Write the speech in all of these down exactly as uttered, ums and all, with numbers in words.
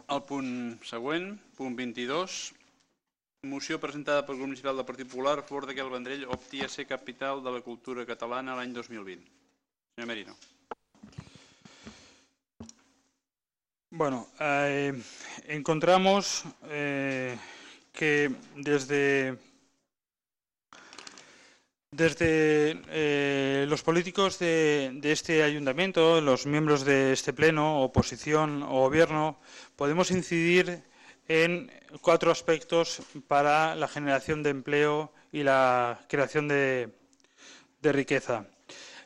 El punt següent, punt vint-i-dos, moció presentada pel grup municipal del Partit Popular a favor que el Vendrell opti a ser capital de la cultura catalana l'any dos mil vint. Senyor Merino. Bueno, eh, encontramos eh, que desde, desde eh, los políticos de, de este ayuntamiento, los miembros de este pleno, oposición o gobierno, podemos incidir en cuatro aspectos para la generación de empleo y la creación de, de riqueza.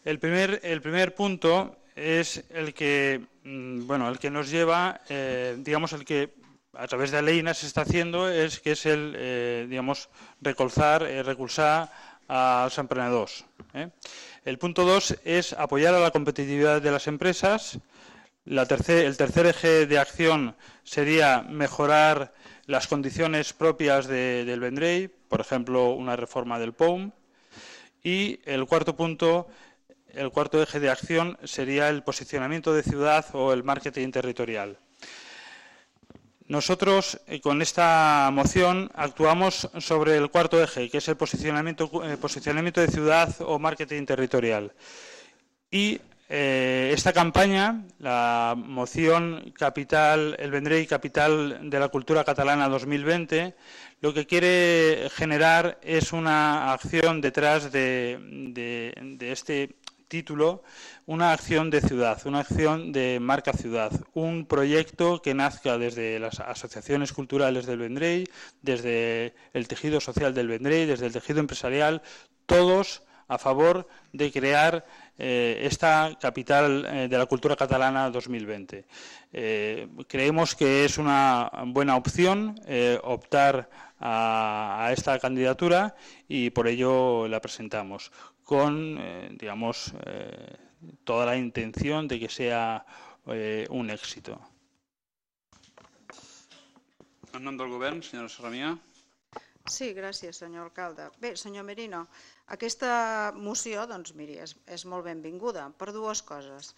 El primer, el primer punto es el que, bueno, el que nos lleva, eh, digamos, el que a través de Aleina se está haciendo, es que es el, eh, digamos, recolzar, eh, recursar a los emprendedores. ¿eh? El punto dos es apoyar a la competitividad de las empresas. La tercer, el tercer eje de acción sería mejorar las condiciones propias de, del Vendrell, por ejemplo, una reforma del P O U M. Y el cuarto punto, el cuarto eje de acción sería el posicionamiento de ciudad o el marketing territorial. Nosotros, eh, con esta moción, actuamos sobre el cuarto eje, que es el posicionamiento, eh, posicionamiento de ciudad o marketing territorial. Y eh, esta campaña, la moción Capital, el Vendrell Capital de la Cultura Catalana dos mil veinte, lo que quiere generar es una acción detrás de, de, de este título, una acción de ciudad, una acción de marca ciudad, un proyecto que nazca desde las asociaciones culturales del Vendrell, desde el tejido social del Vendrell, desde el tejido empresarial, todos a favor de crear eh, esta capital eh, de la cultura catalana dos mil veinte. Eh, creemos que es una buena opción eh, optar a, a esta candidatura y por ello la presentamos con, eh, digamos, eh, toda la intención de que sea eh, un éxito. En nom del govern, senyora Sarramià. Sí, gràcies, senyor alcalde. Bé, senyor Merino, aquesta moció, doncs, miri, és, és molt benvinguda per dues coses.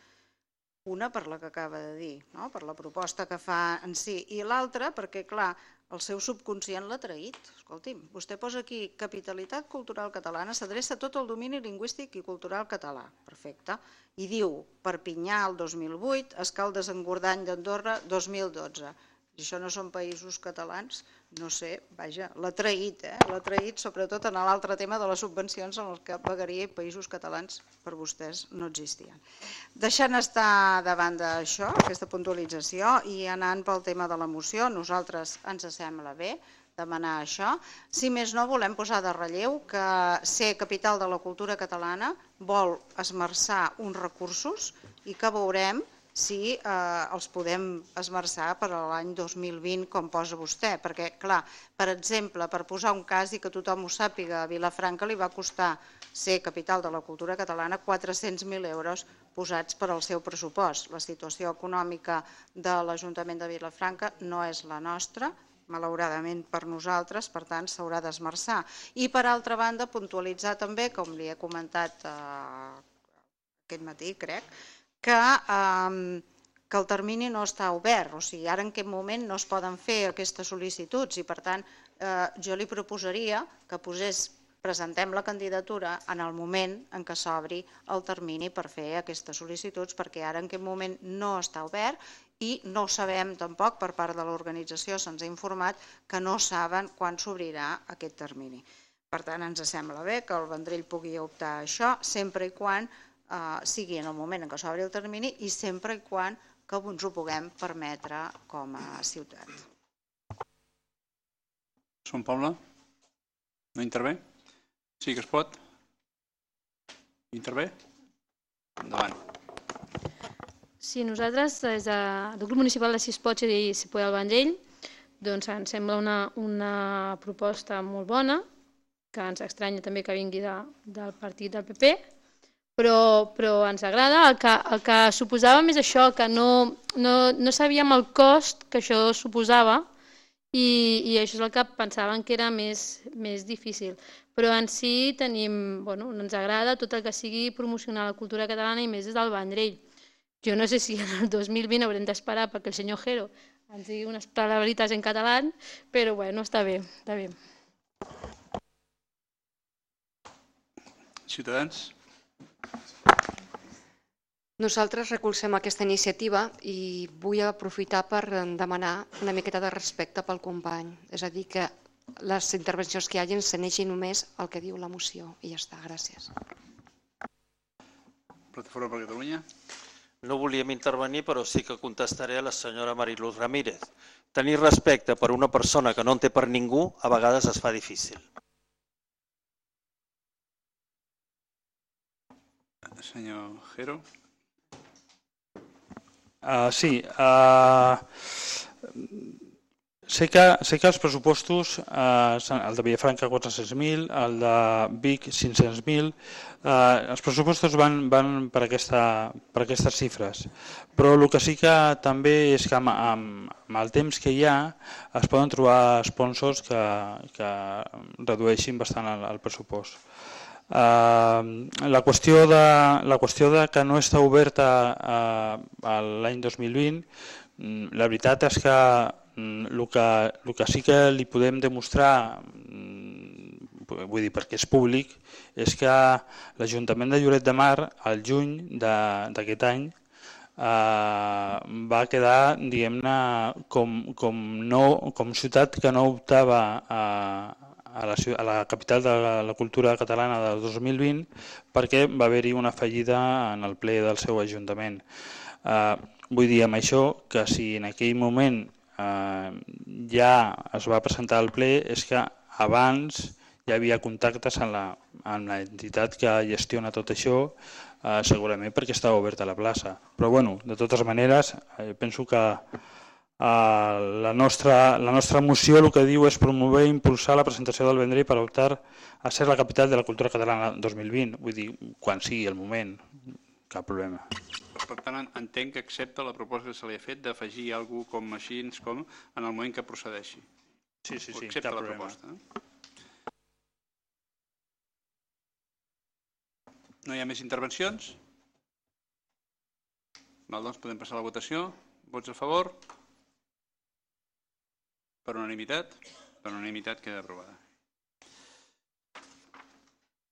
Una, per la que acaba de dir, no? Per la proposta que fa en si, i l'altra, perquè, clar, el seu subconscient l'ha traït. Escolti'm, vostè posa aquí capitalitat cultural catalana, s'adreça tot el domini lingüístic i cultural català. Perfecte. I diu Perpinyà el dos mil vuit, Escaldes-Engordany d'Andorra dos mil dotze. I això no són països catalans, no sé, vaja, l'ha traït, eh? L'ha traït sobretot en l'altre tema de les subvencions en el que pagaria països catalans per vostès no existien. Deixant estar davant d'això, aquesta puntualització, i anant pel tema de la moció, nosaltres ens sembla bé demanar això. Si més no, volem posar de relleu que ser capital de la cultura catalana vol esmerçar uns recursos i que veurem si eh, els podem esmerçar per a l'any dos mil vint, com posa vostè. Perquè, clar, per exemple, per posar un cas i que tothom ho sàpiga, a Vilafranca li va costar ser capital de la cultura catalana quatre-cents mil euros posats per al seu pressupost. La situació econòmica de l'Ajuntament de Vilafranca no és la nostra, malauradament per nosaltres, per tant s'haurà d'esmerçar. I per altra banda, puntualitzar també, com li he comentat eh, aquest matí, crec, que, eh, que el termini no està obert, o sigui, ara en aquest moment no es poden fer aquestes sol·licituds i per tant eh, jo li proposaria que posés, presentem la candidatura en el moment en què s'obri el termini per fer aquestes sol·licituds, perquè ara en aquest moment no està obert i no sabem tampoc, per part de l'organització se'ns ha informat que no saben quan s'obrirà aquest termini. Per tant, ens sembla bé que el Vendrell pugui optar a això, sempre i quan Uh, sigui en el moment en què s'obri el termini i sempre i quan que ens ho puguem permetre com a ciutat. Són Paula? No intervé? Sí que es pot? Intervé? Endavant. Sí, nosaltres, des del grup municipal de Sispotx i Cipoll al Vendrell, doncs ens sembla una, una proposta molt bona, que ens estranya també que vingui de, del partit del P P, Però, però ens agrada. El que, el que suposàvem és això, que no, no, no sabíem el cost que això suposava i, i això és el que pensàvem que era més, més difícil. Però en si tenim, bueno, ens agrada tot el que sigui promocionar la cultura catalana i més des del Vendrell. Jo no sé si en el dos mil vint haurem d'esperar perquè el senyor Jero ens digui unes palabritas en català, però bueno, està bé, està bé. Ciutadans? Nosaltres recolzem aquesta iniciativa i vull aprofitar per demanar una miqueta de respecte pel company. És a dir, que les intervencions que hi hagin s'aneixin només el que diu la moció. I ja està, gràcies. Plataforma per Catalunya? No volíem intervenir, però sí que contestaré a la senyora Mariluz Ramírez. Tenir respecte per una persona que no en té per ningú a vegades es fa difícil. Senyor Jero? Uh, sí, uh, sé, que, sé que els pressupostos, uh, el de Villafranca quatre-cents mil, el de Vic cinc-cents mil, uh, els pressupostos van, van per, aquesta, per aquestes xifres, però el que sí que també és que amb, amb, amb el temps que hi ha es poden trobar sponsors que, que redueixin bastant el, el pressupost. Uh, la, qüestió de, la qüestió de que no està oberta uh, l'any dos mil vint, la veritat és que el que, el que sí que li podem demostrar, vull dir perquè és públic, és que l'Ajuntament de Lloret de Mar, al juny d'aquest any, uh, va quedar, diguem-ne, com, com, no, com ciutat que no optava a a la, a la capital de la, la cultura catalana del dos mil vint perquè va haver-hi una fallida en el ple del seu ajuntament. Eh, vull dir amb això que si en aquell moment eh, ja es va presentar al ple és que abans ja hi havia contactes amb la, amb l'entitat que gestiona tot això, eh, segurament perquè estava oberta la plaça. Però bueno, de totes maneres, eh, penso que Uh, la, nostra, la nostra moció el que diu és promover i impulsar la presentació del Vendrell per optar a ser la capital de la cultura catalana dos mil vint, vull dir, quan sigui el moment, cap problema. Per tant, entenc que accepta la proposta que se li ha fet d'afegir alguna cosa com així com en el moment que procedeixi. Sí, sí, sí, accepta cap la problema. Proposta, eh? No hi ha més intervencions? Val, doncs podem passar a la votació. Vots a favor? Per unanimitat? Per unanimitat queda aprovada.